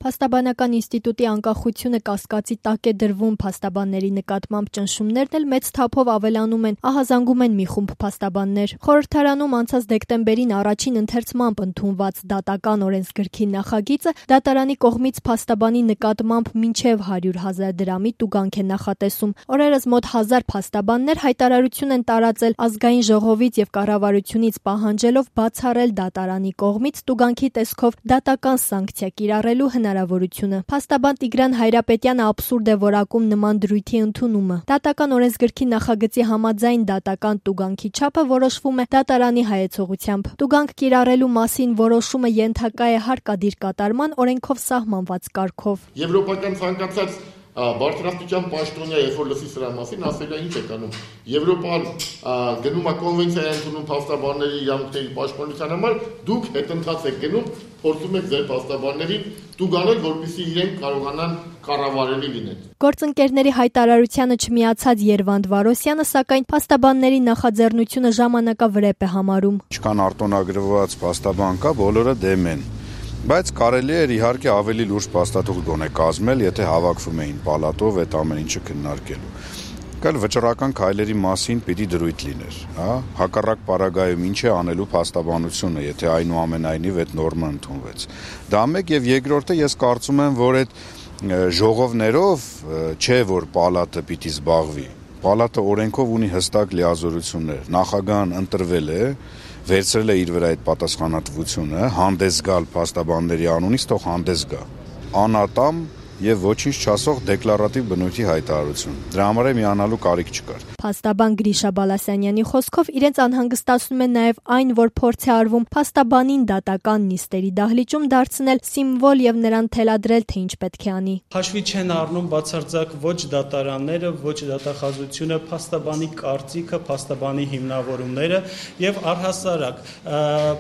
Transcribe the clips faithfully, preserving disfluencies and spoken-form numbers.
Փաստաբանական ինստիտուտի անկախությունը կասկածի տակ է դրվում, փաստաբանների նկատմամբ ճնշումներն էլ մեծ թափով ավելանում են, ահազանգում են մի խումբ փաստաբաններ։ Խորհրդարանում անցած դեկտեմբերին առաջին ընթերցմամբ ընդունված դատական օրենսգրքի նախագիծը դատարանի կողմից փաստաբանի նկատմամբ մինչև հարյուր հազար դրամի տուգանք է նախատեսում։ Օրերս մոտ հազար փաստաբաններ հայտարարություն են տարածել ազգային ժողովից եւ կառավարությունից պահանջելով բացառել դատարանի կողմից տուգանքի տեսքով դատական սանկցիա կիրառելու հնարավորությունը։ Փաստաբան Տիգրան Հայրապետյանը աբսուրդ է որակում նման դրույթի ընդունումը։ Դատական օրենսգրքի նախագծի համաձայն դատական տուգանքի չափը որոշվում է դատարանի հայեցողությամբ։ Տուգանք կիրառելու մասին որոշումը ենթակա է հարկադիր կատարման օրենքով սահմանված կարգով։ Եվրոպական ցանկացած բարձրաստիճան պաշտոնյա, երբ որ լսի սրա մասին, ասել է ինչ է կանում։ Եվրոպան գնում է կոնվենցիա է ընդունում փաստաբանների իրավունքների պաշտպանության համար, դուք հետընթաց եք գնում, փորձում եք ձեր փաստաբաններին տուգանել, որպեսզի իրենք կարողանան կառավարելի լինեն։ Գործընկերների հայտարարությանը չմիացած Երվանդ Վարոսյանը, սակայն փաստաբանների նախաձեռնությունը ժամանակավրեպ է համարում։ Ինչքան արտոնագրված փաստաբան կա, բոլորը դեմ են։ Բայց կարելի էր իհարկե ավելի լուրջ փաստաթուղթ գոնե կազմել, եթե հավաքվում էին պալատով այդ ամեն ինչը քննարկելու։ Կալ վճռական քայլերի մասին պիտի դրույթ լիներ, հա, հակառակ պարագայում ինչ է անելու փաստաբանությունը, եթե այնուամենայնիվ այդ նորմը ընդունվեց։ Դա մեկ եւ երկրորդը ես կարծում եմ, որ այդ ժողովներով չէ, որ պալատը պիտի զբաղվի։ Պալատը օրենքով ունի հստակ լիազորություններ։ Նախագահն ընտրվել է, վերցրել է իր վրա այդ պատասխանատվությունը, հանդես գալ փաստաբանների անունից, թող հանդես գա։ Անատամ եւ ոչինչ չասող դեկլարատիվ բնույթի հայտարարություն։ Դրա համար միանալու կարիք չկար։ Փաստաբան Գրիշա Բալասանյանի խոսքով իրենց անհանգստացնում է նաեւ այն, որ փորձ է արվում փաստաբանին դատական նիստերի դահլիճում դարձնել սիմվոլ եւ նրան թելադրել, թե ինչ պետք է անի։ Հաշվի չեն առնում բացարձակ ոչ դատարանները, ոչ դատախազությունը, փաստաբանի կարծիքը, փաստաբանի հիմնավորումները եւ առհասարակ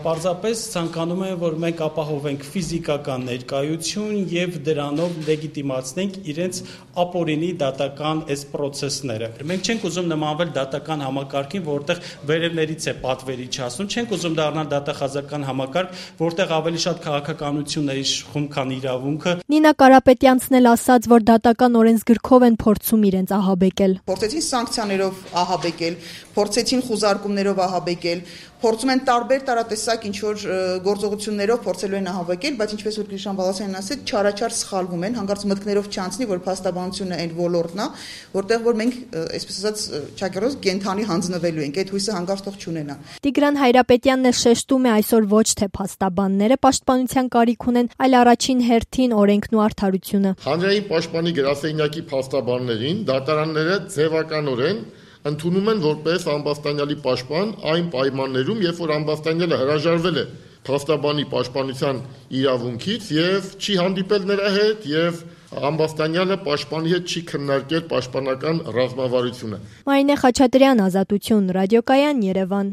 պարզապես ցանկանում են, որ մենք ապահովենք ֆիզիկական ներկայություն եւ դրանով լեգիտիմացնենք իրենց ապօրինի դատական այս process-ները։ Մենք չենք ուզում նմանվել դատական համակարգին, որտեղ վերևներից է պատվերի չասում, չենք ուզում դառնալ դատախազական համակարգ, որտեղ ավելի շատ քաղաքականություն է իշխում, քան իրավունքը։ Նինա Կարապետյանցն էլ ասաց, որ դատական օրենսգրքով են փորձում իրենց ահաբեկել։ Փորձեցին սանկցիաներով ահաբեկել, փորձեցին խուզարկումներով ահաբեկել, փորձում են տարբեր տարատեսակ ինչ որ գործողություններով փորձելու են ահաբեկել, բայց ինչպես որ Գրիշան Բալասյանն ասաց, չարաչար սխալվում են, հանկարծ մտքներով չանցնի, որ փաստաբանությունը այն ոլորտն է, որտեղ որ մենք, այսպես ասած, ճակերոս կենթանի հանձնվելու ենք, այդ հույսը հանկարծ թող չունենա։ Տիգրան Հայրապետյանն էլ շեշտում է այսօր ոչ թե փաստաբանները պաշտպանության կարիք ունեն, այլ առաջին հերթին օրենքն ու արդարությունը։ Հանրային պաշտպանի գրասենյակի փաստաբաններին դատարանները ձևականորեն ընդունում են որպես ամբաստանյալի պաշտպան այն պայմաններում, երբ որ ամբաստանյալը հրաժարվել է փաստաբանի պաշտպանության իրավունքից եւ չի հանդիպել նրա հետ եւ ամբաստանյալը պաշտպանի հետ չի քննարկել պաշտպանական ռազմավարությունը։ Մարինե Խաչատրյան, Ազատություն, Ռադիոկայան, Երևան։